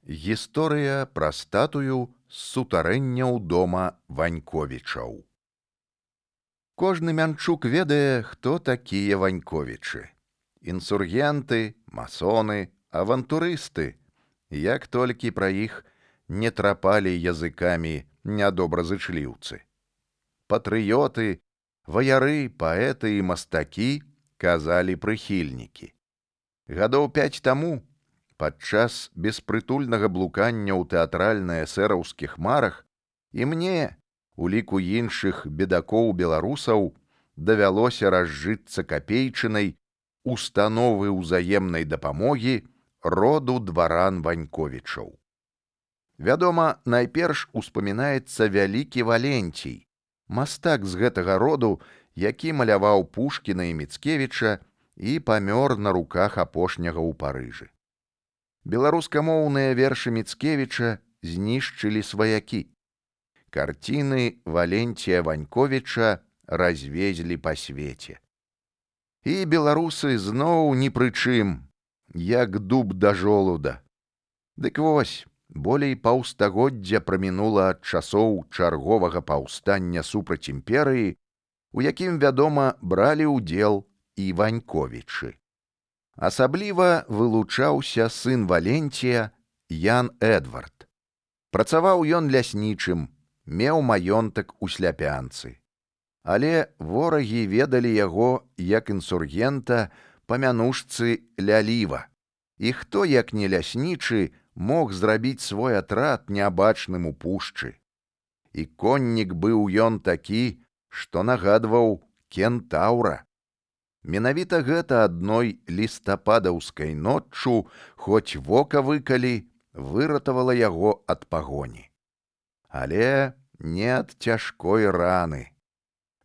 Гісторыя пра статую з сутарэнняў дома Ваньковічаў. Кожны мянчук ведае, хто такія Ваньковічы. Інсургенты, масоны, авантурысты. Як толькі пра іх не трапалі языкамі нядобразычліўцы. Патрыёты, ваяры, паэты і мастакі, казалі прыхільнікі. Гадоў 5 таму, падчас беспрытульнага блукання ў тэатральна-эсэраўскіх марах і мне, у ліку іншых бедакоў-беларусаў, давялося разжыцца капейчынай установы ўзаемнай дапамогі роду дваран Ваньковічаў. Вядома, найперш успамінаецца вялікі Валенцій, мастак з гэтага роду, які маляваў Пушкіна і Міцкевіча і памёр на руках апошняга ў Парыжы. Беларускамоўныя вершы Міцкевіча знішчылі сваякі. Карціны Валенція Ваньковіча развезлі па свеце. І беларусы зноў ні пры чым, як дуб да жолуда. Дык вось, болей паўстагоддзя прамінула ад часоў чарговага паўстання супраць імперыі, у якім, вядома, бралі ўдзел і Ваньковічы. Асабліва вылучаўся сын Валенція Ян Эдвард. Працаваў ён ляснічым, меў маёнтак у Сляпянцы. Але ворагі ведалі яго як інсургента па мянушцы Ляліва. І хто, як не ляснічы, мог зрабіць свой атрад нябачным у пушчы. І коннік быў ён такі, што нагадваў кентаўра. Менавіта гэта адной лістападаўскай ноччу, хоць вока выкалі, выратавала яго ад пагоні. Але не ад цяжкой раны.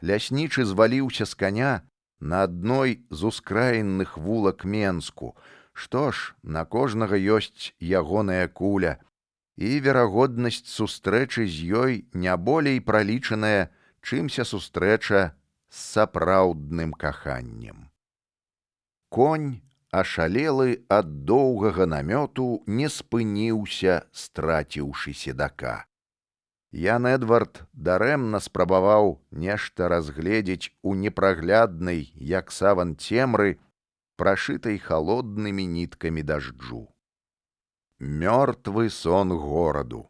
Ляснічы зваліўся з каня на адной з ускраінных вулак Менску. Што ж, на кожнага ёсць ягоная куля, і верагоднасць сустрэчы з ёй не болей пралічаная, чымся сустрэча з сапраўдным каханнем. Конь, ашалелы ад доўгага намёту, не спыніўся, страціўшы седака. Ян Эдвард дарэмна спрабаваў нешта разгледзець у непрагляднай, як саван цемры, прашытай халоднымі ніткамі дажджу. Мёртвы сон гораду.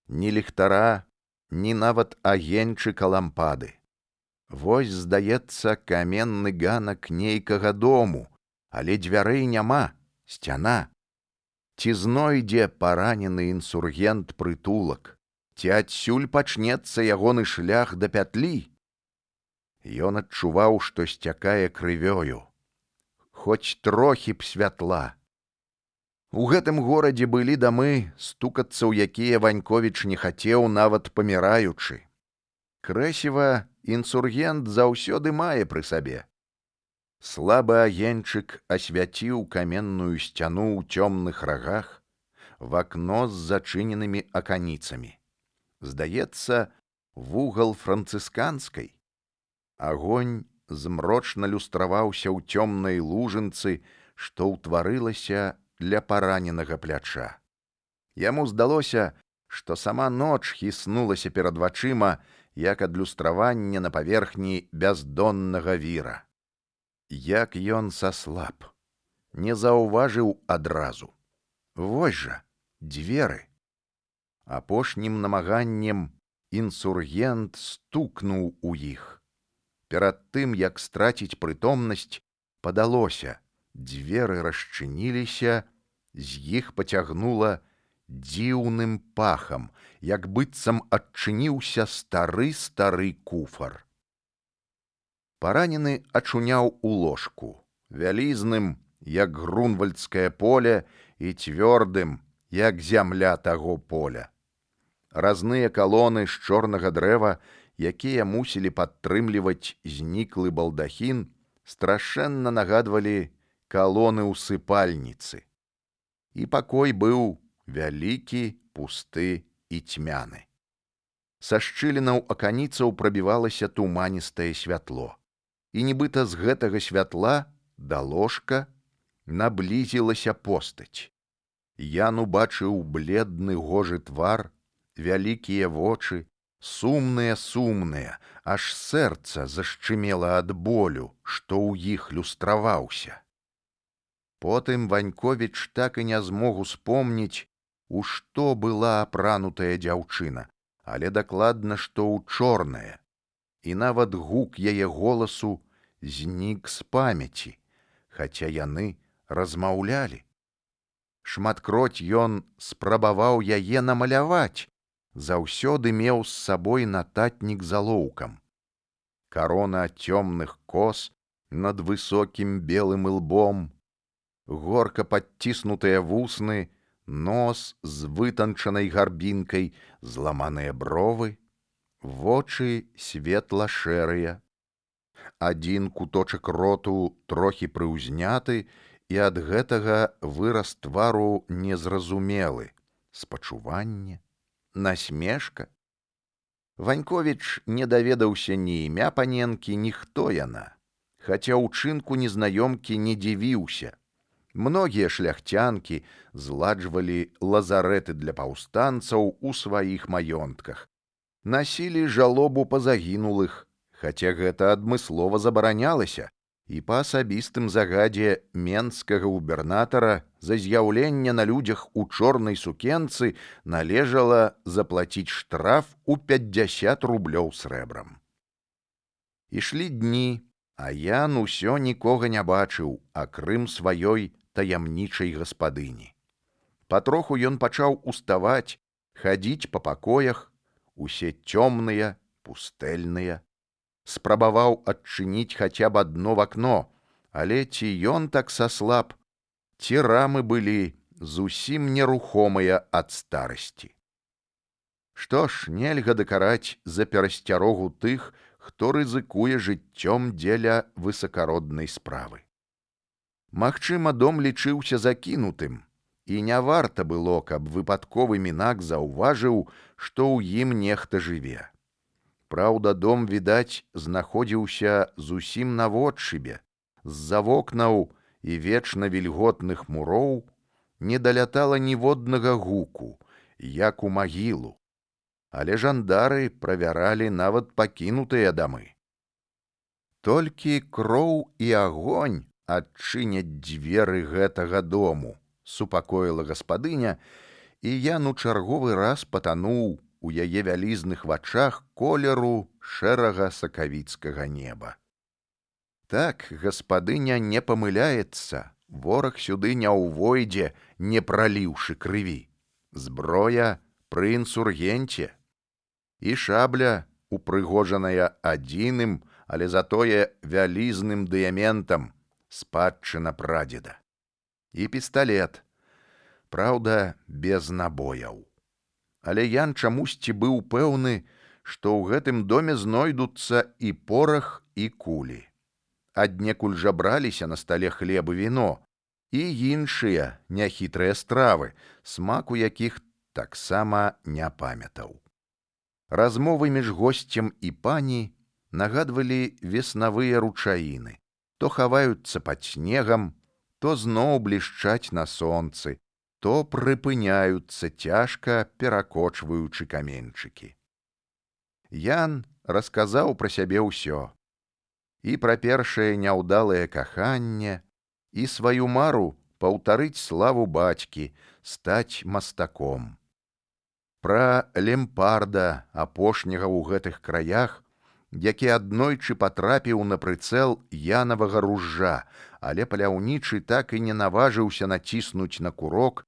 Ні ліхтара, ні нават агеньчыка лампады. Вось, здаецца, каменны ганак нейкага дому, але дзвярэй няма, сцяна. Ці знойдзе паранены інсургент прытулак, ці адсюль пачнецца ягоны шлях да пятлі? Ён адчуваў, што сцякае крывёю. Хоць трохі б святла. У гэтым горадзе былі дамы, стукацца ў якія Ваньковіч не хацеў, нават паміраючы. Крэсіва інсургент заўсёды мае пры сабе. Слабы агеньчык асвяціў каменную сцяну ў цёмных рагах, в акно з зачыненымі аканіцамі. Здаецца, вугал францысканскай. Агонь змрочна люстраваўся ў цёмнай лужынцы, што ўтварылася для параненага пляча. Яму здалося, што сама ноч хіснулася перад вачыма, як адлюстраванне на паверхні бяздоннага віра. Як ён саслаб, не заўважыў адразу. Вось жа, дзверы. Апошнім намаганнем інсургент стукнуў у іх. Перад тым, як страціць прытомнасць, падалося, дзверы расчыніліся, з іх пацягнула дзіўным пахам, як быццам адчыніўся стары куфар. Паранены ачуняў у ложку, вялізным, як грунвальдскае поле, і цвёрдым, як зямля таго поля. Разныя калоны з чорнага дрэва, якія мусілі падтрымліваць зніклы балдахін, страшэнна нагадвалі калоны ў сыпальніцы. І пакой быў вялікі, пусты і цьмяны. Са шчылінаў аканіцаў прабівалася туманістае святло. І нібыта з гэтага святла да ложка наблізілася постаць. Ян убачыў бледны гожы твар, вялікія вочы, сумныя, аж сэрца зашчымела ад болю, што ў іх люстраваўся. Потым Ваньковіч так і не змог успомніць, у што была апранутая дзяўчына, але дакладна, што ў чорнае, і нават гук яе голасу знік з памяці, хаця яны размаўлялі. Шматкроць ён спрабаваў яе намаляваць, заўсёды меў з сабой нататнік з алоўкам. Карона цёмных кос над высокім белым ілбом, горка падціснутыя вусны, нос з вытанчанай гарбінкай, зламаныя бровы, вочы светла-шэрыя. Адзін куточак роту трохі прыўзняты, і ад гэтага выраз твару незразумелы, спачуванне, насмешка. Ваньковіч не даведаўся ні імя паненкі, ні хто яна, хаця ўчынку незнаёмкі не дзівіўся. Многія шляхцянкі зладжвалі лазарэты для паўстанцаў у сваіх маёнтках, насілі жалобу па загінулых, хаця гэта адмыслова забаранялася, і па асабістым загадзе менскага губернатара за з'яўленне на людзях у чорнай сукенцы належала заплаціць штраф у 50 рублёў срэбрам. Ішлі дні, а Ян усё нікога не бачыў, акрым сваёй таямнічай гаспадыні. Патроху ён пачаў уставаць, хадзіць па пакоях, усе цёмныя, пустэльныя. Спрабаваў адчыніць хаця б адно вакно, але ці ён так саслаб, ці рамы былі зусім нерухомыя ад старасці. Што ж, нельга дакараць за перасцярогу тых, хто рызыкуе жыццём дзеля высакароднай справы. Магчыма, дом лічыўся закінутым, і не варта было, каб выпадковы мінак заўважыў, што ў ім нехта жыве. Праўда, дом, відаць, знаходзіўся зусім наводшыбе, з-за вокнаў і вечна вільготных муроў не далятала ніводнага гуку, як у магілу, але жандары правяралі нават пакінутыя дамы. Толькі кроў і агонь адчыняць дзверы гэтага дому, супакоіла гаспадыня, і Ян у чарговы раз патануў у яе вялізных вачах колеру шэрага сакавіцкага неба. Так, гаспадыня не памыляецца, вораг сюды не ўвойдзе, не праліўшы крыві. Зброя пры інсургенце. І шабля, упрыгожаная адзіным, але затое вялізным дыяментам, спадчына прадзеда. І пісталет, праўда, без набояў. Але Ян чамусьці быў пэўны, што ў гэтым доме знойдуцца і порах, і кулі. Аднекуль жа браліся на стале хлеб і віно, і іншыя няхітрыя стравы, смаку якіх таксама не памятаў. Размовы між госцем і пані нагадвалі веснавыя ручаіны, то хаваюцца пад снегам, то зноў блішчаць на сонцы, то прыпыняюцца цяжка, перакочваючы каменьчыкі. Ян расказаў пра сябе ўсё. І пра першае няўдалае каханне, і сваю мару паўтарыць славу бацькі, стаць мастаком. Пра лемпарда, апошняга ў гэтых краях, які аднойчы патрапіў на прыцэл янавага ружжа, але паляўнічы так і не наважыўся націснуць на курок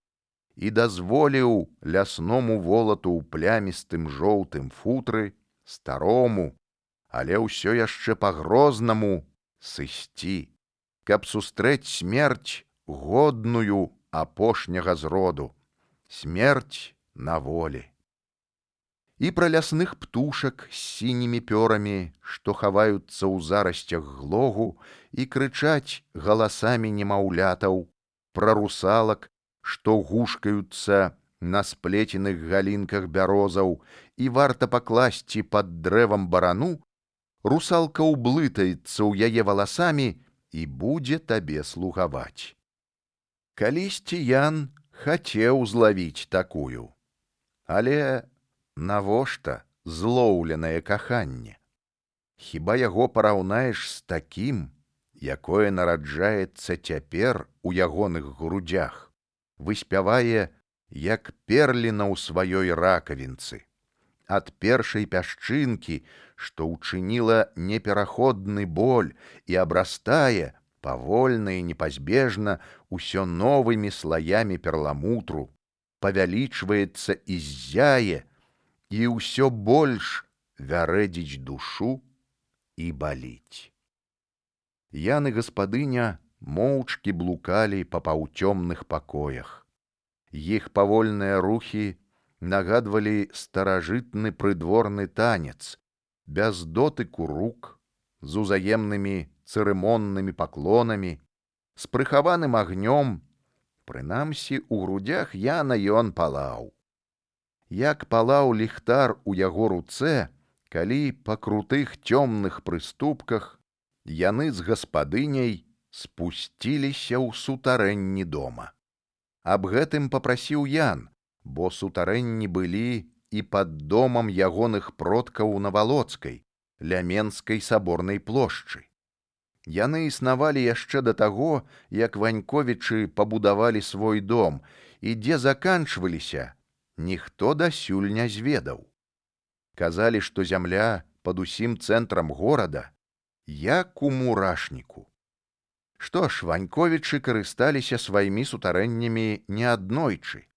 і дазволіў лясному волату ў плямістым жоўтым футры, старому, але ўсё яшчэ па-грознаму сысці, каб сустрэць смерць годную апошняга зроду, смерць на волі. І пра лясных птушак з сінімі пёрамі, што хаваюцца ў зарасцях глогу і крычаць галасамі немаўлятаў, пра русалак, што гушкаюцца на сплеценых галінках бярозаў, і варта пакласці пад дрэвам барану, русалка ўблытаецца ў яе валасамі і будзе табе слугаваць. Калісьці Ян Хацеў злавіць такую. Але навошта злоўленае каханне? Хіба яго параўнаеш з такім, якое нараджаецца цяпер у ягоных грудзях, выспявае, як перліна ў сваёй ракавінцы, ад першай пясчынкі, што ўчыніла непераходны боль і абрастае павольна і непазбежна ўсё новымі слаямі перламутру, павялічваецца і ззяе, і ўсё больш вярэдзіць душу і баліць. Ян і гаспадыня моўчкі блукалі па паўцёмных пакоях. Іх павольныя рухі нагадвалі старажытны прыдворны танец, без дотыку рук, з узаемнымі цырымоннымі паклонамі, з прыхаваным агнём. Прынамсі, у грудзях Яна ён палаў. Як палаў ліхтар у яго руцэ, калі па крутых цёмных прыступках яны з гаспадыняй спусціліся ў сутарэнні дома. Аб гэтым папрасіў Ян, бо сутарэнні былі і пад домам ягоных продкаў на Валоцкай, ля Менскай саборнай плошчы. Яны існавалі яшчэ да таго, як Ваньковічы пабудавалі свой дом, і дзе заканчваліся, ніхто дасюль не зведаў. Казалі, што зямля пад усім цэнтрам горада, як у мурашніку. Што ж, Ваньковічы карысталіся сваімі сутарэннямі неаднойчы.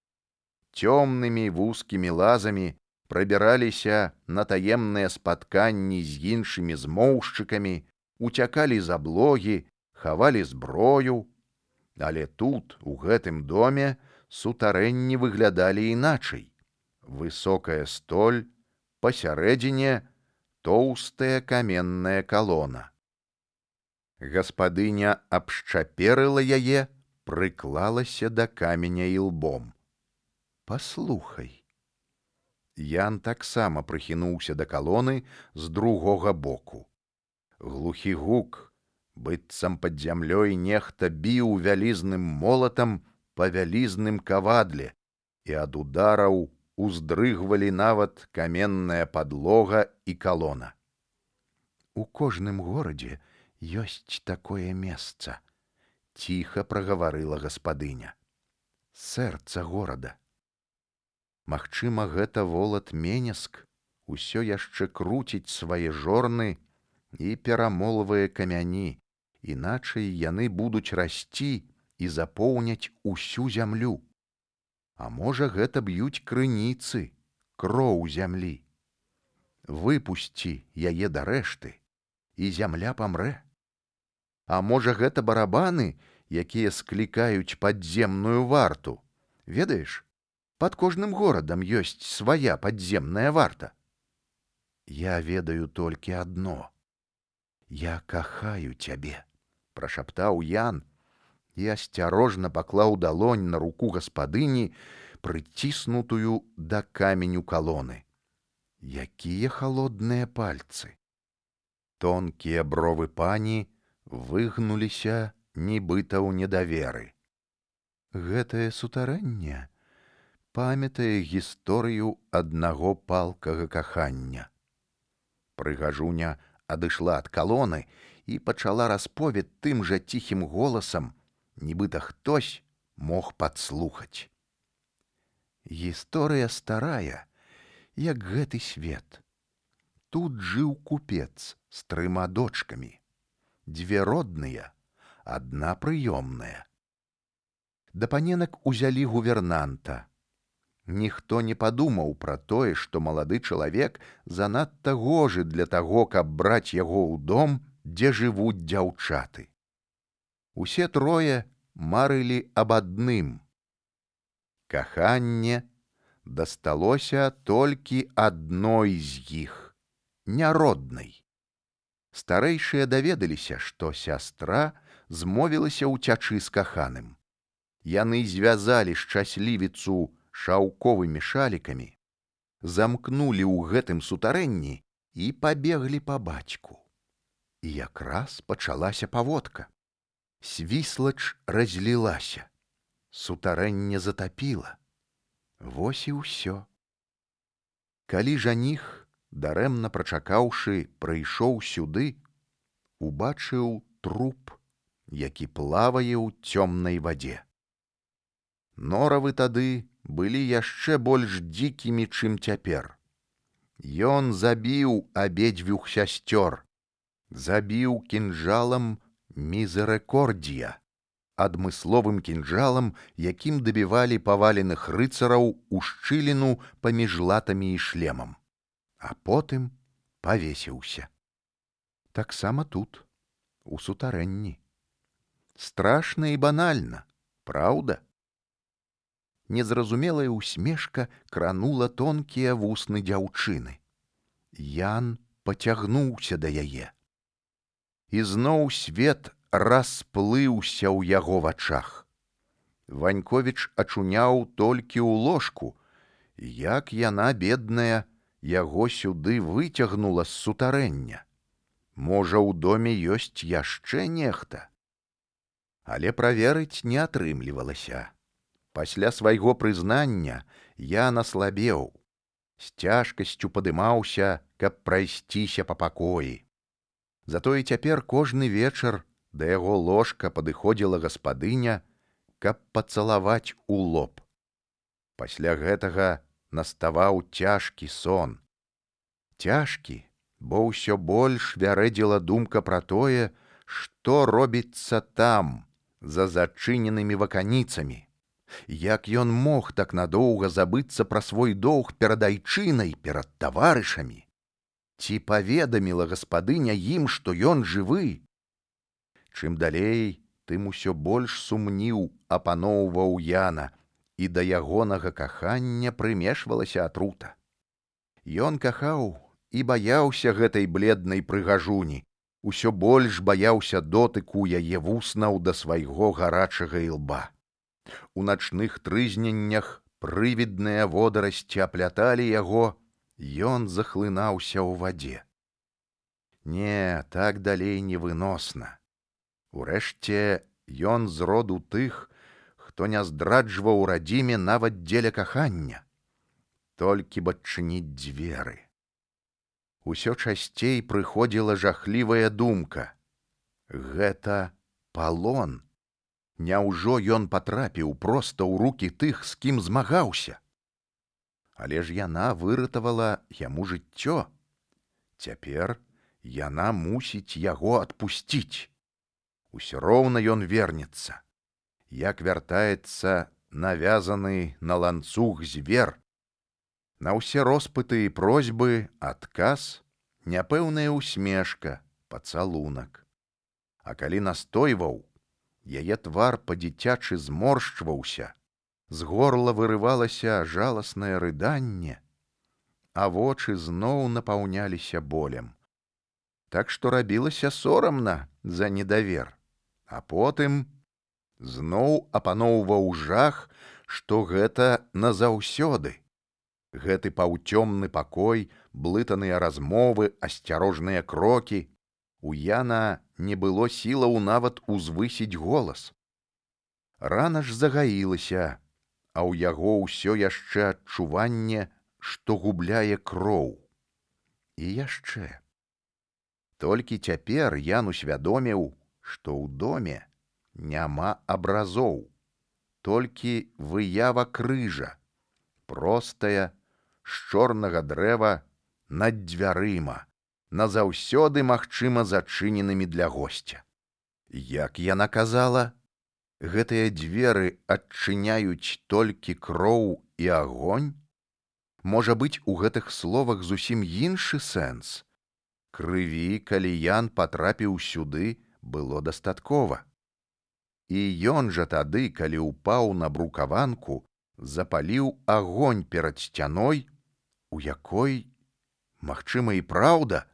Цёмнымі вузкімі лазамі прабіраліся на таемныя спатканні з іншымі змоўшчыкамі, уцякалі з аблогі, хавалі зброю. Але тут, у гэтым доме, сутарэнні выглядалі іначай. Высокая столь, пасярэдзіне тоўстая каменная калона. Гаспадыня абшчаперыла яе, прыклалася да каменя ілбом. Паслухай. Ян таксама прыхінуўся да калоны з другога боку. Глухі гук, быццам пад зямлёй нехта біў вялізным молатам па вялізным кавадле, і ад удараў уздрыгвалі нават каменная падлога і калона. У кожным горадзе ёсць такое месца, ціха прагаварыла гаспадыня. Сэрца горада. Магчыма, гэта волат Менеск усё яшчэ круціць свае жорны і перамолвае камяні, іначай яны будуць расці і запоўняць усю зямлю. А можа, гэта б'юць крыніцы, кроў зямлі. Выпусці яе да рэшты, і зямля памрэ. А можа, гэта барабаны, якія склікаюць падземную варту. Ведаеш, пад кожным горадам ёсць свая падземная варта. Я ведаю толькі адно. Я кахаю цябе, прашаптаў Ян і асцярожна паклаў далонь на руку гаспадыні, прыціснутую да каменю калоны. Якія халодныя пальцы! Тонкія бровы пані выгнуліся, нібыта ў недаверы. Гэтае сутарэнне памятае гісторыю аднаго палкага кахання. Прыгажуня адышла ад калоны і пачала расповед тым жа ціхім голасам, нібыта хтось мог падслухаць. Гісторыя старая, як гэты свет. Тут жыў купец з 3 дочкамі. 2 родныя, 1 прыёмная. Да паненак узялі гувернанта. Ніхто не падумаў пра тое, што малады чалавек занадта гожы для таго, каб браць яго ў дом, дзе жывуць дзяўчаты. Усе 3 марылі аб адным. Каханне дасталося толькі адной з іх, няроднай. Старэйшыя даведаліся, што сястра змовілася ўцячы з каханым. Яны звязалі шчаслівіцу шаўковымі шалікамі, замкнулі ў гэтым сутарэнні і пабеглі па бацьку. І якраз пачалася паводка. Свіслач разлілася. сутарэнне затапіла. Вось і ўсё. Калі жаніх, дарэмна прачакаўшы, прыйшоў сюды, убачыў труп, які плавае ў цёмнай вадзе. Норавы тады былі яшчэ больш дзікімі, чым цяпер. Ён забіў абедзвюх сясцёр, забіў кінжалам мізерыкордія, адмысловым кінжалам, якім дабівалі паваленых рыцараў у шчыліну паміж латамі і шлемам, а потым павесіўся. Таксама тут, у сутарэнні. Страшна і банальна, праўда? Незразумелая усмешка кранула тонкія вусны дзяўчыны. Ян пацягнуўся да яе. І зноў свет расплыўся ў яго вачах. Ваньковіч ачуняў толькі ў ложку, як яна, бедная, яго сюды выцягнула з сутарэння. Можа, у доме ёсць яшчэ нехта? Але праверыць не атрымлівалася. Пасля свайго прызнання я наслабеў, з цяжкасцю падымаўся, каб прайсціся па пакоі. Затое цяпер кожны вечар да яго ложка падыходзіла гаспадыня, каб пацалаваць у лоб. Пасля гэтага наставаў цяжкі сон. Цяжкі, бо ўсё больш вярэдзіла думка пра тое, што робіцца там, за зачыненымі ваканіцамі. Як ён мог так надоўга забыцца пра свой доўг перад айчынай, перад таварышамі? Ці паведаміла гаспадыня ім, што ён жывы? Чым далей, тым усё больш сумніў апаноўваў Яна, і да ягонага кахання прымешвалася атрута. Ён кахаў і баяўся гэтай бледнай прыгажуні, усё больш баяўся дотыку яе вуснаў да свайго гарачага ілба. У начных трызненнях прывідныя водарасці апляталі яго, ён захлынаўся ў вадзе. Не, так далей невыносна. Урэшце, ён з роду тых, хто не здраджваў радзіме нават дзеля кахання. Толькі б адчыніць дзверы. Усё часцей прыходзіла жахлівая думка. Гэта палон. Няўжо ён патрапіў проста ў рукі тых, з кім змагаўся? Але ж яна выратавала яму жыццё. Цяпер яна мусіць яго адпусціць. Усё роўна ён вернецца. Як вяртаецца навязаны на ланцуг звер. На ўсе роспыты і просьбы адказ, няпэўная усмешка, пацалунак. А калі настойваў, яе твар па-дзіцячы зморшчваўся, з горла вырывалася жаласнае рыданне, а вочы зноў напаўняліся болем. Так што рабілася сорамна за недавер, а потым зноў апаноўваў жах, што гэта назаўсёды. Гэты паўцёмны пакой, блытаныя размовы, асцярожныя крокі. У Яна не было сілаў нават узвысіць голас. Рана ж загаілася, а ў яго ўсё яшчэ адчуванне, што губляе кроў. І яшчэ. Толькі цяпер Ян усвядоміў, што ў доме няма абразоў, толькі выява крыжа, простая, з чорнага дрэва над дзвярыма, назаўсёды, магчыма, зачыненымі для госця. Як яна казала, гэтыя дзверы адчыняюць толькі кроў і агонь? Можа быць, у гэтых словах зусім іншы сэнс. Крыві, калі Ян патрапіў сюды, было дастаткова. І ён жа тады, калі ўпаў на брукаванку, запаліў агонь перад сцяной, у якой, магчыма, і праўда,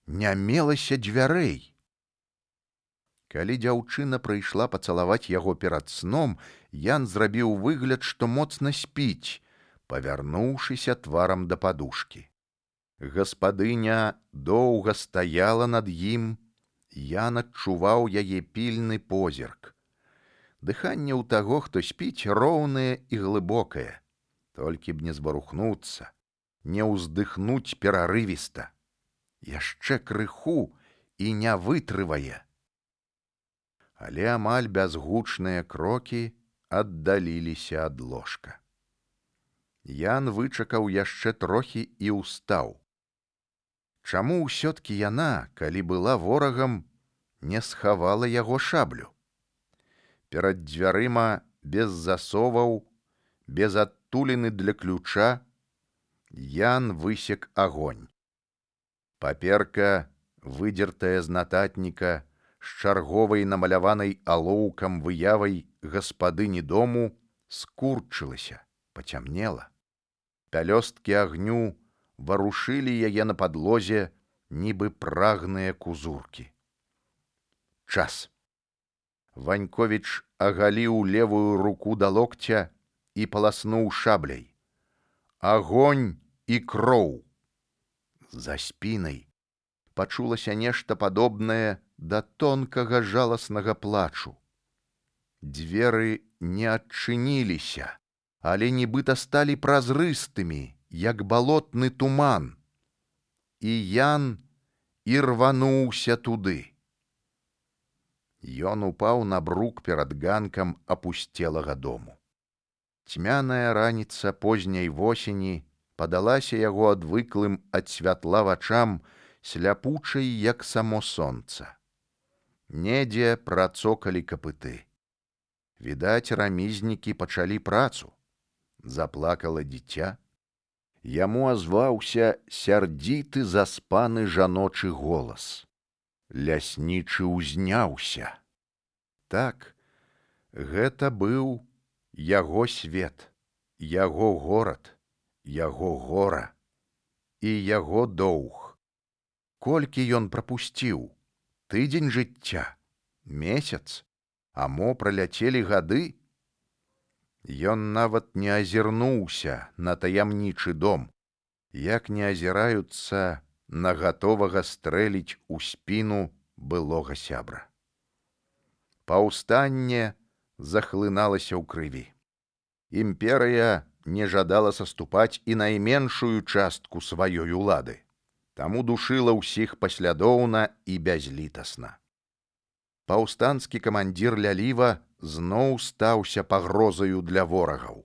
не мелася дзвярэй. Калі дзяўчына прыйшла пацалаваць яго перад сном, Ян зрабіў выгляд, што моцна спіць, павярнуўшыся тварам да падушкі. Гаспадыня доўга стаяла над ім, Ян адчуваў яе пільны позірк. Дыханне ў таго, хто спіць, роўнае і глыбокае. Толькі б не збарухнуцца, не ўздыхнуць перарывіста. Яшчэ крыху і не вытрывае. Але амаль бязгучныя крокі аддаліліся ад ложка. Ян вычакаў яшчэ трохі і ўстаў. Чаму ўсё-ткі яна, калі была ворагам, не схавала яго шаблю? Перад дзвярыма без засоваў, без адтуліны для ключа, Ян высек агонь. Паперка, выдзертая з нататніка, з чарговай намаляванай алоўкам выявай гаспадыні дому, скурчылася, пацямнела. Пялёсткі агню варушылі яе на падлозе, нібы прагныя кузуркі. Час. Ваньковіч агаліў левую руку да локця і паласнуў шабляй. Агонь і кроў. За спінай пачулася нешта падобнае да тонкага жаласнага плачу. Дзверы не адчыніліся, але нібыта сталі празрыстымі, як балотны туман. І Ян ірвануўся туды. Ён упаў на брук перад ганкам апусцелага дому. Цьмяная раніца позняй восені падалася яго адвыклым ад святла вачам, сляпучай, як само сонца. Недзе працокалі капыты. Відаць, рамізнікі пачалі працу. Заплакала дзіця. Яму азваўся сярдзіты заспаны жаночы голас. Ляснічы ўзняўся. Так, гэта быў яго свет, яго горад, яго гора і яго доўг. Колькі ён прапусціў? Тыдзень жыцця? Месяц? А мо праляцелі гады? Ён нават не азірнуўся на таямнічы дом, як не азіраюцца на гатовага стрэліць у спіну былога сябра. Паўстанне захлыналася ў крыві. Імперыя не жадала саступаць і найменшую частку сваёй улады, таму душыла ўсіх паслядоўна і бязлітасна. Паўстанскі камандзір Ляліва зноў стаўся пагрозаю для ворагаў.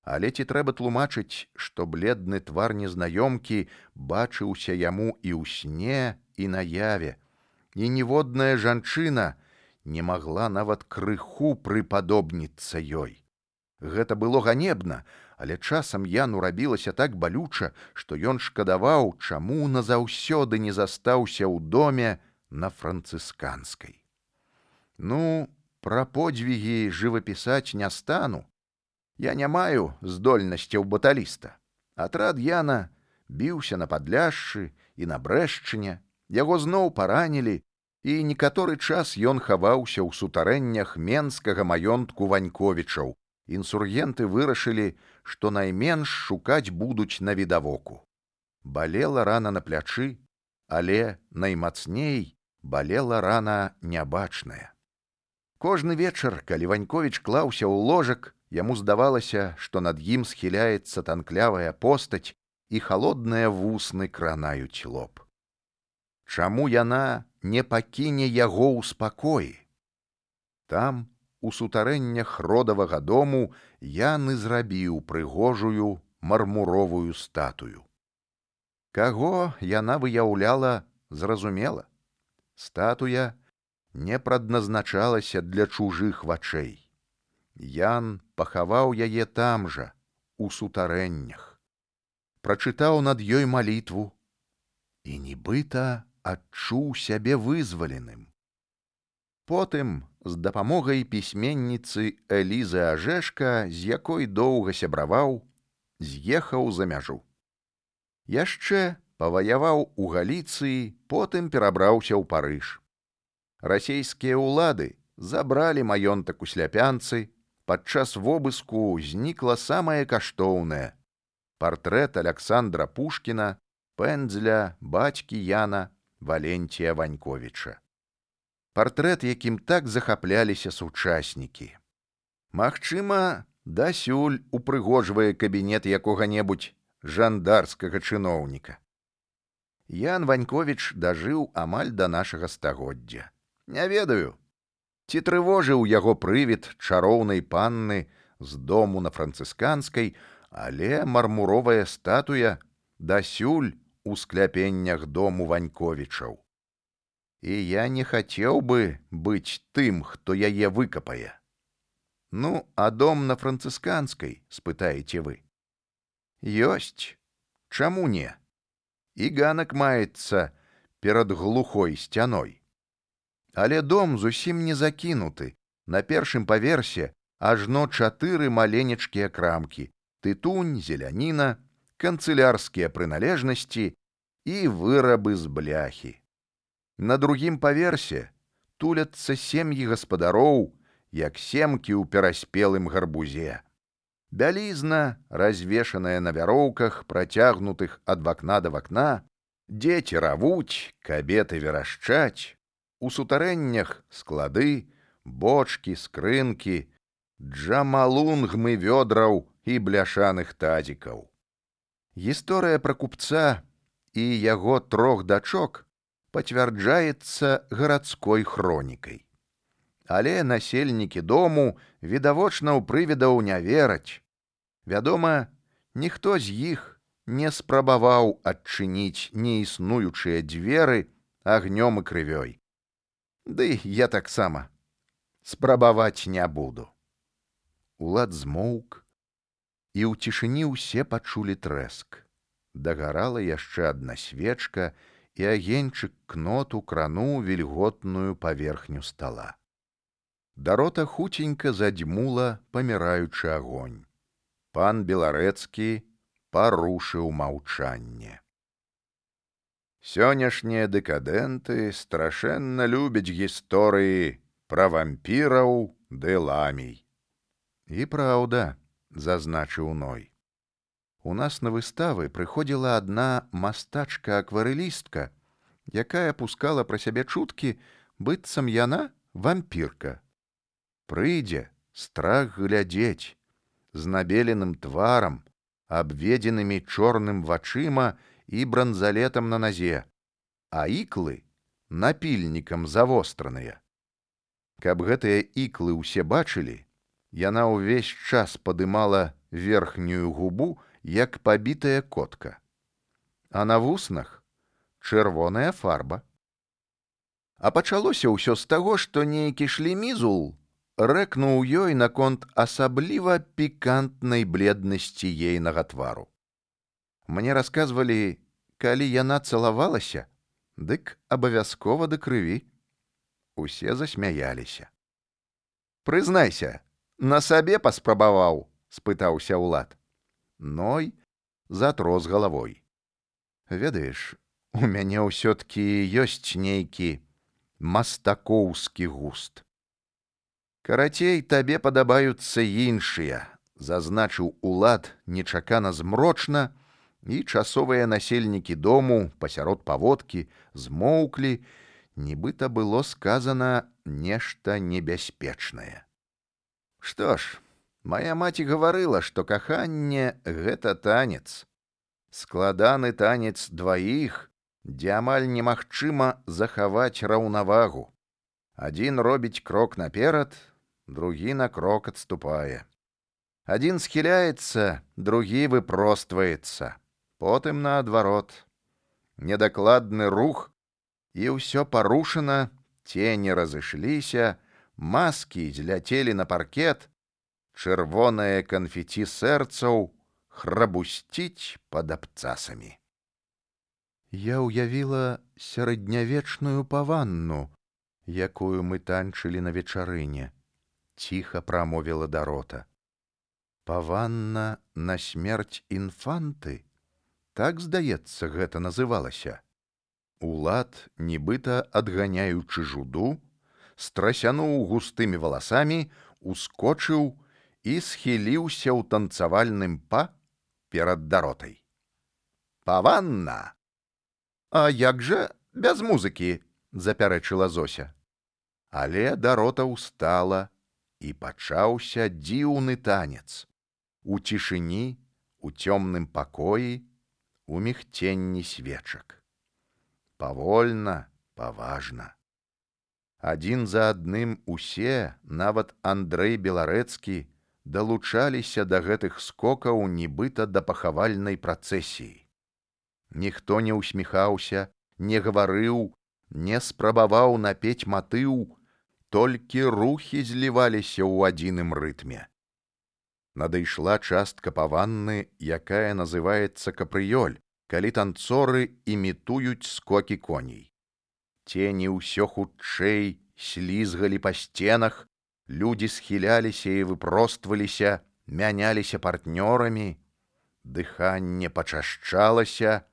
Але ці трэба тлумачыць, што бледны твар незнаёмкі бачыўся яму і ў сне, і наяве, і ніводная жанчына не магла нават крыху прыпадобніцца ёй. Гэта было ганебна, але часам Яну рабілася так балюча, што ён шкадаваў, чаму назаўсёды не застаўся ў доме на францысканскай. Ну, пра подзвігі жывапісаць не стану. Я не маю здольнасцяў баталіста. Атрад Яна біўся на Падляшшы і на Брэшчыне, яго зноў паранілі, і некаторы час ён хаваўся ў сутарэннях менскага маёнтку Ваньковічаў. Інсургенты вырашылі, што найменш шукаць будуць на відавоку. Балела рана на плячы, але наймацней балела рана нябачная. Кожны вечар, калі Ваньковіч клаўся ў ложак, яму здавалася, што над ім схіляецца танклявая постаць і халодныя вусны кранаюць лоб. Чаму яна не пакіне яго ў спакоі? Там, у сутарэннях родавага дому, Ян і зрабіў прыгожую мармуровую статую. Каго яна выяўляла, зразумела. Статуя не прадназначалася для чужых вачэй. Ян пахаваў яе там жа, у сутарэннях. Прачытаў над ёй малітву і нібыта адчуў сябе вызваленым. Потым, з дапамогай пісьменніцы Элізы Ажэшка, з якой доўга сябраваў, з'ехаў за мяжу. Яшчэ паваяваў у Галіцыі, потым перабраўся ў Парыж. Расейскія ўлады забралі маёнтак у Сляпянцы, падчас вобыску знікла самае каштоўнае — партрэт Аляксандра Пушкіна, пэндзля бацькі Яна Валентія Ваньковіча. Партрэт, якім так захапляліся сучаснікі. Магчыма, дасюль упрыгожвае кабінет якога-небудзь жандарскага чыноўніка. Ян Ваньковіч дажыў амаль да нашага стагоддзя. Не ведаю, ці трывожыў яго прывід чароўнай панны з дому на францысканскай, але мармуровая статуя дасюль у скляпеннях дому Ваньковічаў. І я не хацеў бы быць тым, хто яе выкапае. Ну, а дом на францысканскай, спытаеце вы? Ёсць. Чаму не? І ганак маецца перад глухой сцяной. Але дом зусім не закінуты. На першым паверсе ажно 4 маленечкія крамкі: тытунь, зеляніна, канцылярскія прыналежнасці і вырабы з бляхі. На другім паверсе туляцца сем'і гаспадароў, як семкі ў пераспелым гарбузе. Бялізна, развешаная на вяроўках, працягнутых ад вакна да вакна, дзеці равуць, кабеты верашчаць, у сутарэннях склады, бочкі, скрынкі, джамалунгмы вёдраў і бляшаных тазікаў. Гісторыя пра купца і яго 3 дачок пацвярджаецца гарадской хронікай. Але насельнікі дому відавочна ў прывідаў не вераць. Вядома, ніхто з іх не спрабаваў адчыніць неіснуючыя дзверы агнём і крывёй. Ды я таксама спрабаваць не буду. Улад змоўк, і ў цішыні ўсе пачулі трэск. Дагарала яшчэ адна свечка, і агеньчык кноту крануў вільготную паверхню стала. Дарота хуценька задзьмула паміраючы агонь. Пан Беларэцкі парушыў маўчанне. Сённяшнія дэкадэнты страшэнна любяць гісторыі пра вампіраў ды ламій. І праўда, зазначыў Ной. У нас на выставы прыходзіла адна мастачка-акварэлістка, якая пускала пра сябе чуткі, быццам яна вампірка. Прыйдзе, страх глядзець, з набеленым тварам, абведзенымі чорным вачыма і бранзалетам на назе, а іклы напільнікам завостраныя. Каб гэтыя іклы ўсе бачылі, яна ўвесь час падымала верхнюю губу, як пабітая котка. А на вуснах чырвоная фарба. А пачалося ўсё з таго, што нейкі шлемізул рэкнуў ёй наконт асабліва пікантнай бледнасці ейнага твару. Мне расказвалі, калі яна цалавалася, дык абавязкова да крыві. Усе засмяяліся. Прызнайся, на сабе паспрабаваў? Спытаўся Улад. Ной затрос галавой. Ведаеш, у мяне ўсё-ткі ёсць нейкі мастакоўскі густ. Карацей, табе падабаюцца іншыя, зазначыў Улад нечакана змрочна, і часовыя насельнікі дому пасярод паводкі змоўклі, нібыта было сказана нешта небяспечнае. Што ж, мая маці гаварыла, што каханне — гэта танец. Складаны танец дваіх, дзе амаль немагчыма захаваць раўнавагу. Адзін робіць крок наперад, другі на крок адступае. Адзін схіляецца, другі выпростваецца, потым наадварот. Недакладны рух, і ўсё парушана, цені разышліся, маскі зляцелі на паркет, чырвонае канфеці сэрцаў храбусціць пад абцасамі. Я ўявіла сярэднявечную паванну, якую мы танчылі на вечарыне, ціха прамовіла Дарота. Паванна на смерць інфанты? Так, здаецца, гэта называлася. Улад, нібыта адганяючы жуду, страсянуў густымі валасамі, ускочыў і схіліўся ў танцавальным па перад Даротай. Паванна! А як жа без музыкі? Запярэчыла Зося. Але Дарота ўстала і пачаўся дзіўны танец. У цішыні, у цёмным пакоі, у мігценні свечак. Павольна, паважна. Адзін за адным усе, нават Андрэй Беларэцкі, далучаліся да гэтых скокаў нібыта да пахавальнай працэсіі. Ніхто не ўсміхаўся, не гаварыў, не спрабаваў напець матыў, толькі рухі зліваліся ў адзіным рытме. Надышла частка паванны, якая называецца капрыёль, калі танцоры імітуюць скокі коней. Цені ўсё хутчэй слізгалі па сценах, людзі схіляліся і выпростваліся, мяняліся партнёрамі, дыханне пачашчалася,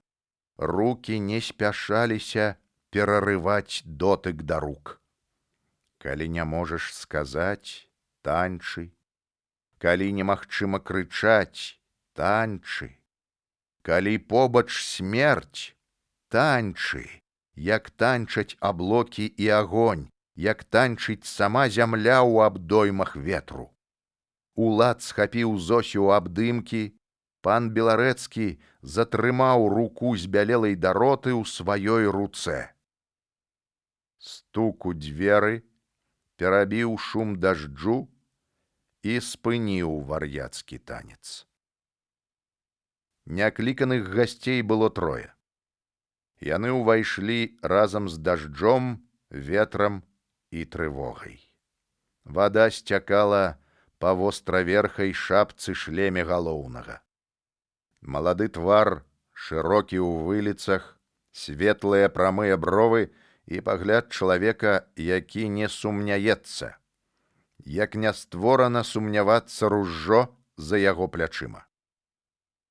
рукі не спяшаліся перарываць дотык да рук. Калі не можаш сказаць, танчы. Калі немагчыма крычаць, танчы. Калі побач смерць, танчы, як танчаць аблокі і агонь, як танчыць сама зямля ў абдоймах ветру. Улад схапіў Зосю ў абдымкі, пан Беларэцкі затрымаў руку збялелай дароты ў сваёй руцэ. Стук у дзверы перабіў шум дажджу і спыніў вар'яцкі танец. Някліканых гасцей было трое. Яны ўвайшлі разам з дажджом, ветрам і трывогай. Вада сцякала па востраверхай шапцы шлеме галоўнага. Малады твар, шырокі ў выліцах, светлыя прамыя бровы і пагляд чалавека, які не сумняецца, як не створана сумнявацца ружжо за яго плячыма.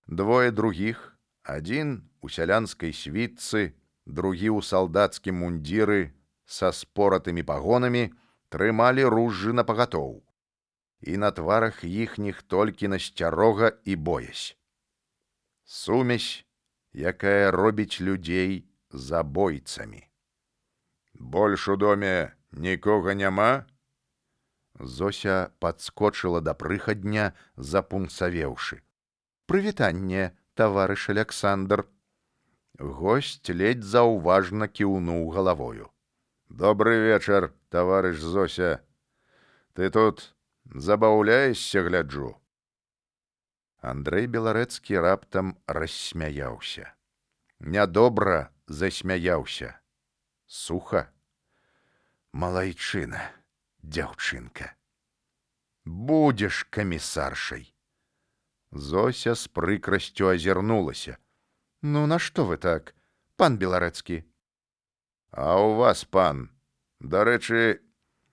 Двое другіх, адзін у сялянскай світцы, другі ў салдацкім мундзіры са споратымі пагонамі, трымалі ружжы напагатоў. І на тварах іхніх толькі насцярога і боязь. Сумесь, якая робіць людзей забойцамі. Больш у доме нікога няма? Зося падскочыла да прыхадня, запунцавеўшы. Прывітанне, таварыш Аляксандр. Госць ледзь заўважна кіўнуў галавою. Добры вечар, таварыш Зося. Ты тут забаўляешся, гляджу. Андрэй Беларэцкі раптам рассмяяўся. Нядобра засмяяўся. Суха. Малайчына, дзяўчынка. Будзеш камісаршай. Зося з прыкрасцю азірнулася. Ну, нашто вы так, пан Беларэцкі? А у вас, пан, дарэчы,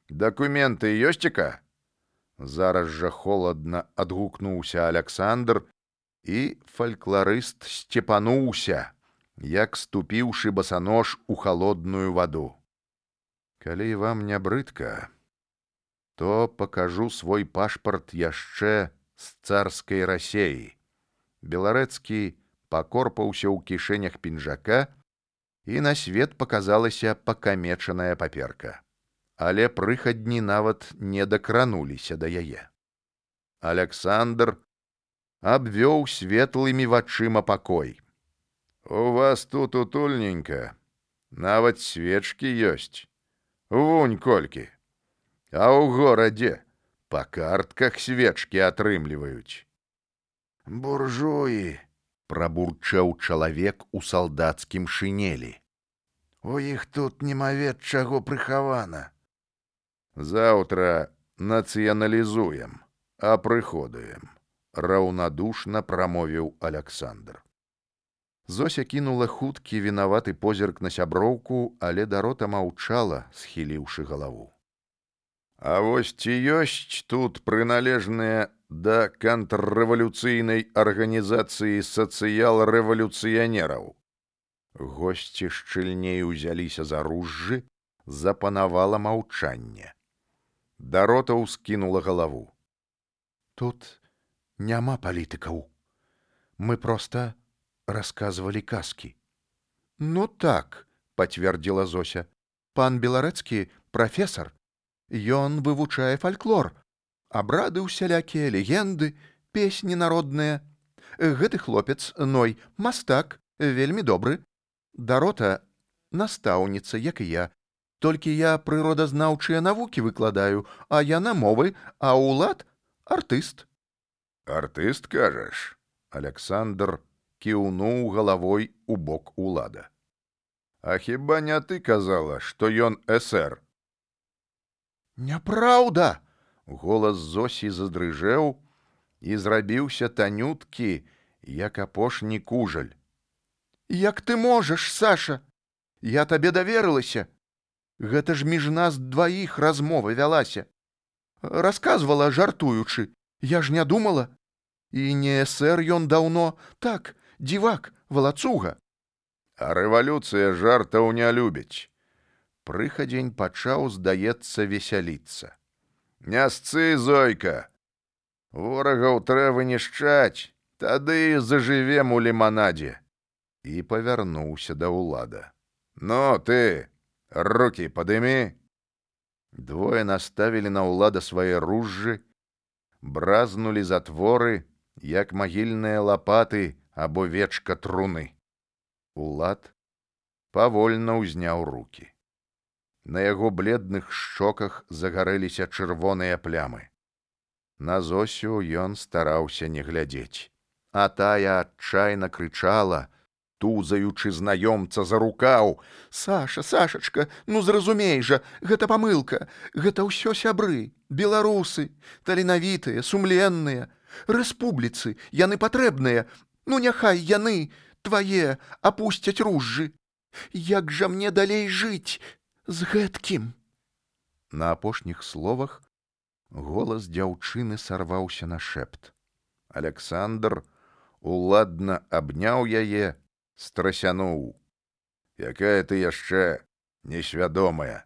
дакументы ёсціка? Зараз жа холадна адгукнуўся Аляксандр, і фалькларыст сцепануўся, як ступіўшы басанож у халодную ваду. Калі вам не брыдка, то пакажу свой пашпарт яшчэ з царскай Расеі. Беларэцкі пакорпаўся ў кішэнях пінжака, і на свет паказалася пакамечаная паперка. Але прыхадні нават не дакрануліся да яе. Аляксандр абвёў светлымі вачыма пакой. У вас тут утульненька, нават свечкі ёсць. Вунь колькі. А ў горадзе па картках свечкі атрымліваюць. Буржуі, прабурчэў чалавек у салдацкім шынелі. У іх тут немавед чаго прыхавана. Заўтра нацыяналізуем, апрыходуем, раўнадушна прамовіў Аляксандр. Зося кінула хуткі вінаваты позірк на сяброўку, але дарота маўчала, схіліўшы галаву. А вось ці ёсць тут прыналежныя да контррэвалюцыйнай арганізацыі сацыял-рэвалюцыянераў? Госці шчыльней узяліся за ружжы, запанавала маўчанне. Дарота ўскінула галаву. Тут няма палітыкаў. Мы проста расказвалі казкі. Ну так, пацвердзіла Зося. Пан Беларэцкі прафесар. Ён вывучае фальклор, Абрады усялякія, легенды, песні народныя. Гэты хлопец, Ной, мастак, вельмі добры. Дарота настаўніца, як і я. Толькі я прыродазнаўчыя навукі выкладаю, а яна мовы, а Улад артыст. Артыст, кажаш? Аляксандр кіўнуў галавой у бок Улада. А хіба не ты казала, што ён эсэр? Няпраўда! Голас Зосі задрыжэў і зрабіўся танюткі, як апошні кужаль. Як ты можаш, Саша? Я табе даверылася. Гэта ж між нас дваіх размова вялася. Расказвала, жартуючы. Я ж не думала. І не эсэр ён даўно, так, дзівак, валацуга. А рэвалюцыя жартаў не любіць. Прыхадзень пачаў, здаецца, весяліцца. Не сцы, Зойка! Ворагаў трэба вынішчаць, тады зажывем у ліманадзе. І павярнуўся да Улада. Ну, ты, рукі падымі. Двое наставілі на Улада свае ружжы, бразнулі затворы, як магільныя лапаты або вечка труны. Улад павольна ўзняў рукі. На яго бледных шчоках загарэліся чырвоныя плямы. На Зосю ён стараўся не глядзець, а тая адчайна крычала, тузаючы знаёмца за рукаў: Саша, Сашачка, ну зразумей жа, гэта памылка, гэта ўсё сябры, беларусы, таленавітыя, сумленныя, рэспубліцы, яны патрэбныя, ну няхай яны, твае, апусцяць ружжы. Як жа мне далей жыць з гэткім? На апошніх словах голас дзяўчыны сарваўся на шэпт. Аляксандр уладна абняў яе, страсянуў. Якая ты яшчэ несвядомая.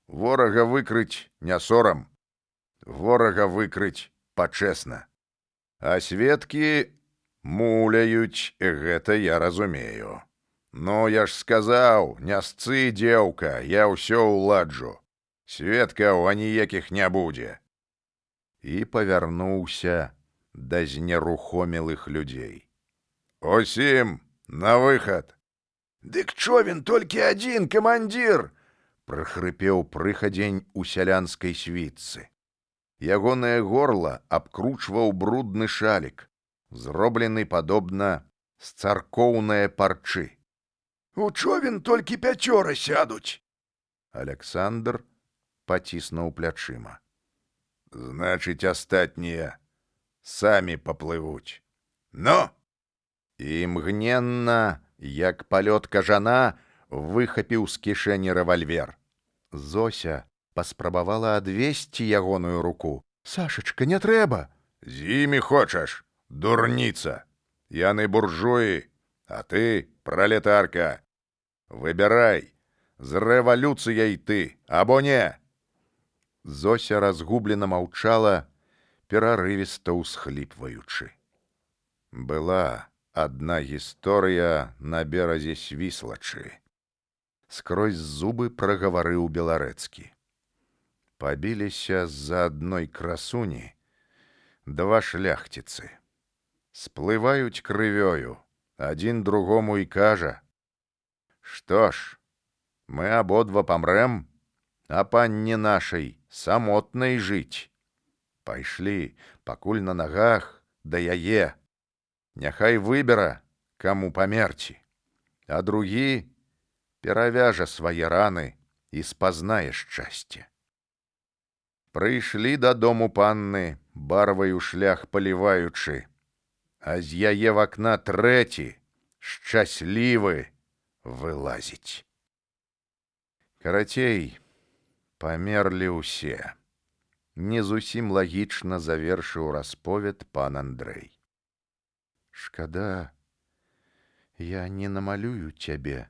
Ворага выкрыць не сорам. Ворага выкрыць пачэсна. А сведкі муляюць, гэта я разумею. Ну, я ж сказаў, не сцы, дзеўка, я ўсё уладжу. Сведкаў аніякіх не будзе. І павярнуўся да знерухомелых людзей. Усім на выхад. Дык човен толькі адзін, камандзір! Прахрыпеў прыхадзень у сялянскай світцы. Ягонае горла абкручваў брудны шалік, зроблены падобна з царкоўнае парчы. У човен толькі 5 сядуць. Аляксандр паціснуў плячыма. Значыць, астатнія самі паплывуць. Ну! І мгненна, як палёт кажана, выхапіў з кішэні рэвальвер. Зося паспрабавала адвесці ягоную руку. Сашачка, не трэба. З імі хочаш, дурніца. Яны буржуі, а ты пралетарка. Выбірай, з рэвалюцыяй ты, або не. Зося разгублена маўчала, перарывіста ўсхліпваючы. Была адна гісторыя на беразе Свіслачы. Скрозь зубы прагаварыў Беларэцкі. Пабіліся з-за адной красуні два шляхціцы. Сплываюць крывёю, адзін другому і кажа: што ж, мы абодва памрэм, а панне нашай самотнай жыць. Пайшлі, пакуль на нагах, да яе. Няхай выбера, каму памерці, а другі перавяжа свае раны і спазнае шчасце. Прыйшлі дадому панны, барваю шлях паліваючы, а з яе в акна трэці, шчаслівы, вылазіць. Карацей, памерлі ўсе. Не зусім лагічна завершыў расповед пан Андрэй. Шкада, я не намалюю цябе,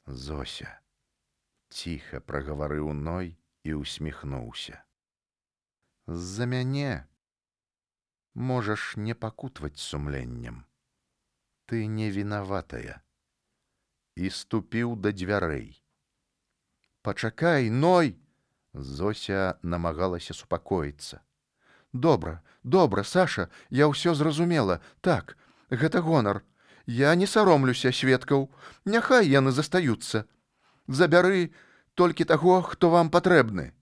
Зося. Ціха прагаварыў Ной і усміхнуўся. З-за мяне можаш не пакутваць сумленнем. Ты не вінаватая. І ступіў да дзвярэй. Пачакай, Ной! Зося намагалася супакоіцца. Добра, добра, Саша, я ўсё зразумела. Так, гэта гонар. Я не саромлюся сведкаў. Няхай яны застаюцца. Забяры толькі таго, хто вам патрэбны.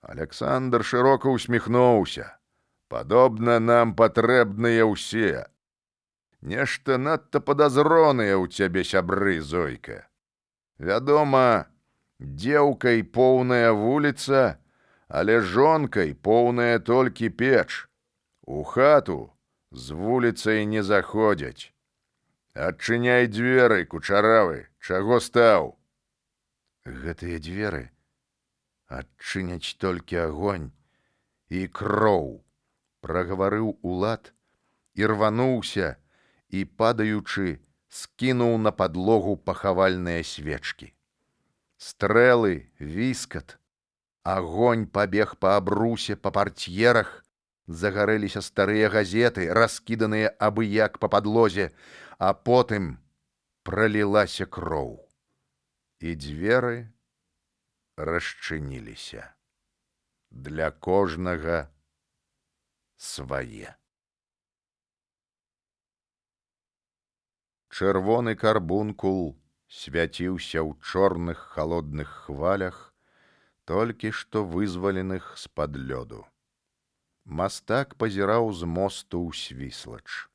Александр шырока усміхнуўся. Падобна, нам патрэбныя ўсе. Нешта надта падазроныя ў цябе сябры, Зойка. Вядома, дзеўкай поўная вуліца, але жонкай поўная толькі печ. У хату з вуліцай не заходзяць. Адчыняй дзверы, кучаравы, чаго стаў? Гэтыя дзверы адчыняць толькі агонь і кроў, прагаварыў Улад і рвануўся і, падаючы, скінуў на падлогу пахавальныя свечкі. Стрэлы, віскат, агонь пабег па абрусе, па партьерах, загарэліся старыя газеты, раскіданыя абы-як па падлозе, а потым пралілася кроў. І дзверы расчыніліся. Для кожнага свае. Чырвоны карбункул свяціўся ў чорных халодных хвалях, толькі што вызваленых з-пад лёду. Мастак пазіраў з мосту ў Свіслач.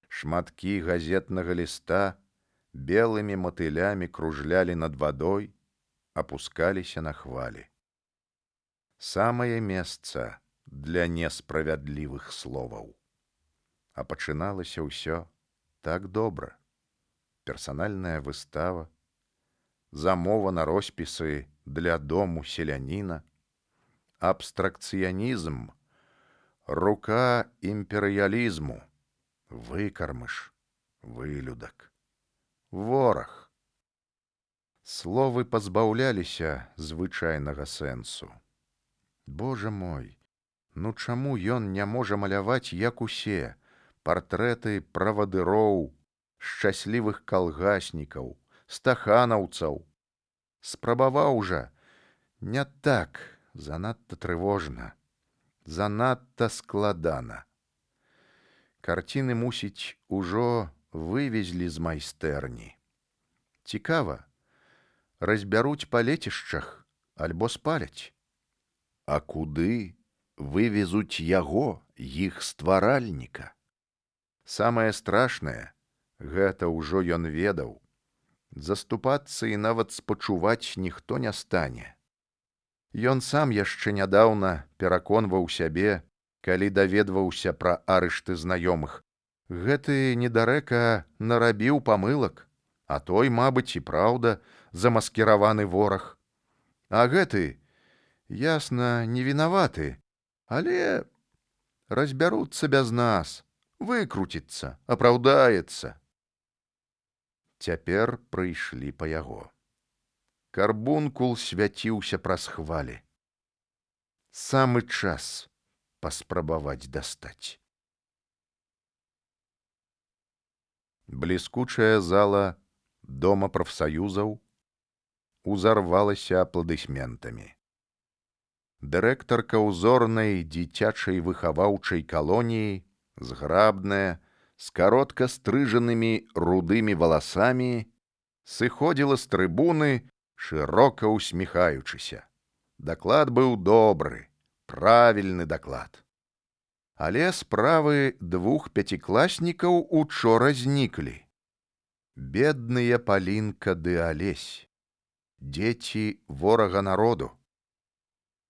Шматкі газетнага ліста белымі матылямі кружлялі над вадой, апускаліся на хвалі. Самае месца для несправядлівых словаў. А пачыналася ўсё так добра. Персанальная выстава, замова на роспісы для дому селяніна, абстракцыянізм, рука імперыялізму, выкармыш, вылюдак, вораг. Словы пазбаўляліся звычайнага сэнсу. Божа мой, ну чаму ён не можа маляваць, як усе, партрэты правадыроў, шчаслівых калгаснікаў, стаханаўцаў? Спрабаваў жа, не так, занадта трывожна, занадта складана. Карціны, мусіць, ужо вывезлі з майстэрні. Цікава, разбяруць па лецішчах альбо спаляць. А куды вывезуць яго, іх стваральніка? Самае страшнае, гэта ўжо ён ведаў. Заступацца і нават спачуваць ніхто не стане. Ён сам яшчэ нядаўна пераконваў сябе, калі даведваўся пра арышты знаёмых. Гэты недарэка нарабіў памылак, а той, мабыць, і праўда, замаскіраваны вораг. А гэты, ясна, не вінаваты, але разбяруцца без нас, выкруціцца, апраўдаецца. Цяпер прыйшлі па яго. Карбункул свяціўся праз хвалі. Самы час паспрабаваць дастаць. Бліскучая зала дома прафсаюзаў узарвалася апладысментамі. Дырэктарка ўзорнай дзіцячай выхаваўчай калоніі, зграбная, з каротка стрыжанымі рудымі валасамі, сыходзіла з трыбуны, шырока усміхаючыся. Даклад быў добры, правільны даклад. Але справы двух пяцікласнікаў учора зніклі. Бедныя Палінка ды Алесь, дзеці ворага народу.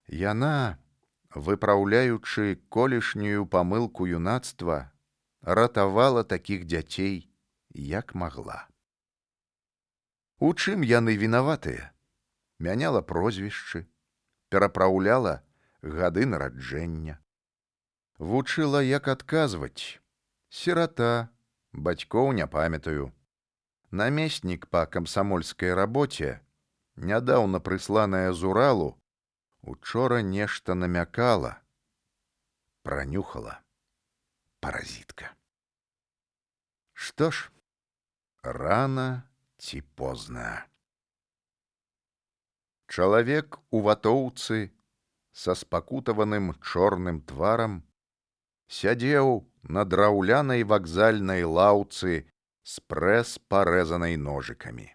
Яна, выпраўляючы колішнюю памылку юнацтва, ратавала такіх дзяцей, як магла. У чым яны вінаватыя? Мяняла прозвішчы, перапраўляла гады нараджэння. Вучыла, як адказваць. Сірата, бацькоў не памятаю. Намеснік па камсамольскай рабоце, нядаўна прысланая з Уралу, учора нешта намякала, пранюхала. Паразітка. Што ж, рана ці позна. Чалавек у ватоўцы са спакутаваным чорным тварам, сядзеў на драўлянай вакзальнай лаўцы з прэс парэзанай ножыкамі.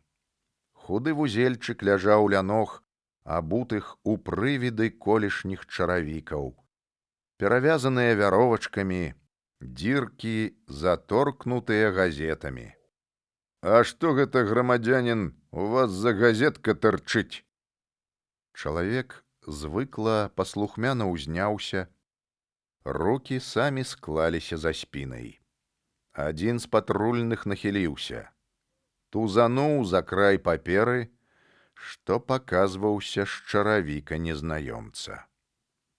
Худы вузельчык ляжаў ля ног, абутых у прывіды колішніх чаравікаў, перавязаныя вяровачкамі, дзіркі заторкнутыя газетамі. «А што гэта, грамадзянін, у вас за газетка тырчыць?» Чалавек звыкла паслухмяна ўзняўся, рукі самі склаліся за спінай. Адзін з патрульных нахіліўся, тузануў за край паперы, што паказваўся з чаравіка незнаёмца.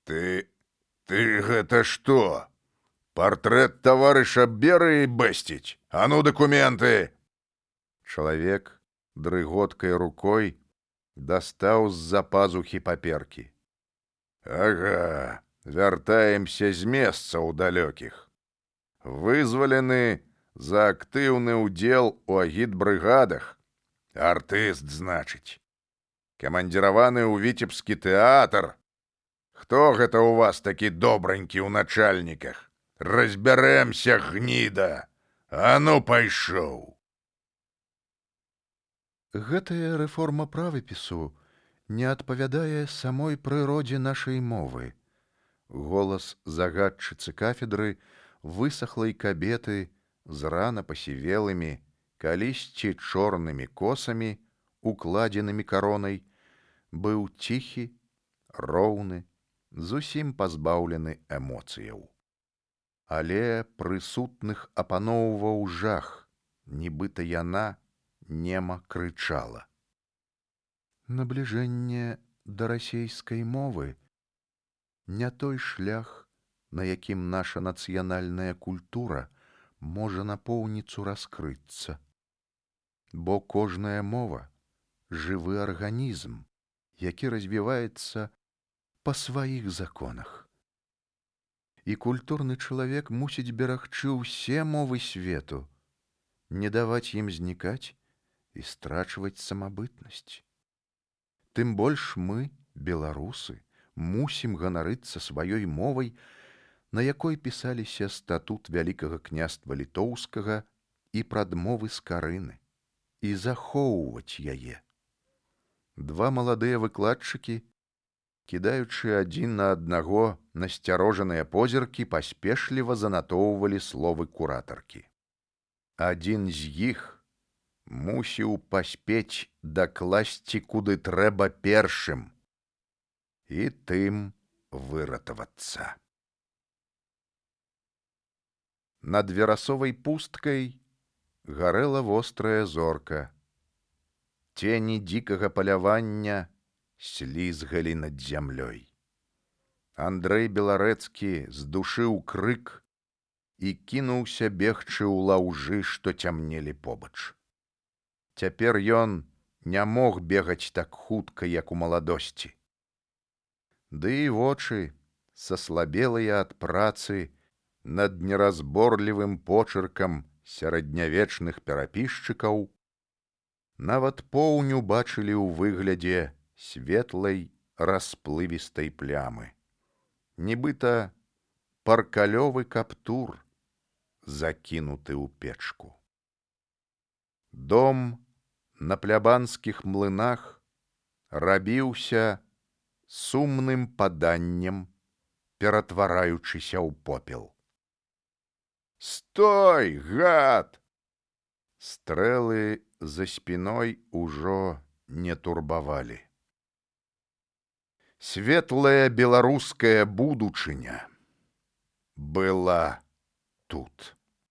Ты гэта што? Партрэт таварыша Берыі бэсціць? А ну дакументы!» Чалавек дрыготкай рукой дастаў з-за пазухі паперкі. «Ага, вяртаемся з месцаў далёкіх. Вызвалены за актыўны ўдзел у агітбрыгадах. Артыст, значыць. Камандзіраваны ў віцебскі тэатр. Хто гэта ў вас такі добранькі ў начальніках? Разбярэмся, гніда! А ну пайшоў!» Гэтая рэформа правапісу не адпавядае самой прыродзе нашай мовы. Голас загадчыцы кафедры высахлай кабеты з рана пасівелымі, калісьці чорнымі косамі, укладзенымі каронай, быў ціхі, роўны, зусім пазбаўлены эмоцыяў. Але прысутных апаноўваў жах, нібыта яна нема крычала. Набліжэнне да расейскай мовы не той шлях, на якім наша нацыянальная культура можа напоўніцу раскрыцца. Бо кожная мова — жывы арганізм, які развіваецца па сваіх законах. І культурны чалавек мусіць берагчы ўсе мовы свету, не даваць ім знікаць і страчваць самабытнасць. Тым больш мы, беларусы, мусім ганарыцца сваёй мовай, на якой пісаліся статут Вялікага княства Літоўскага і прадмовы з Карыны, і захоўваць яе. Два маладыя выкладчыкі, кідаючы адзін на аднаго насцярожаныя позіркі, паспешліва занатоўвалі словы куратаркі. Адзін з іх мусіў паспець дакласці куды трэба першым і тым выратавацца. Над верасовай пусткай гарэла вострая зорка. Цені дзікага палявання слізгалі над зямлёй. Андрэй Беларэцкі здушыў крык і кінуўся бегчы ў лаўжы, што цямнелі побач. Цяпер ён не мог бегаць так хутка, як у маладосці. Ды і вочы, саслабелыя ад працы над неразборлівым почыркам сярэднявечных перапісчыкаў, нават поўню бачылі ў выглядзе светлай расплывістай плямы. Нібыта паркалёвы каптур, закінуты ў печку. Дом на плябанскіх млынах рабіўся сумным паданнем, ператвараючыся ў попел. «Стой, гад!» Стрэлы за спіной ужо не турбавалі. Светлая беларуская будучыня была тут.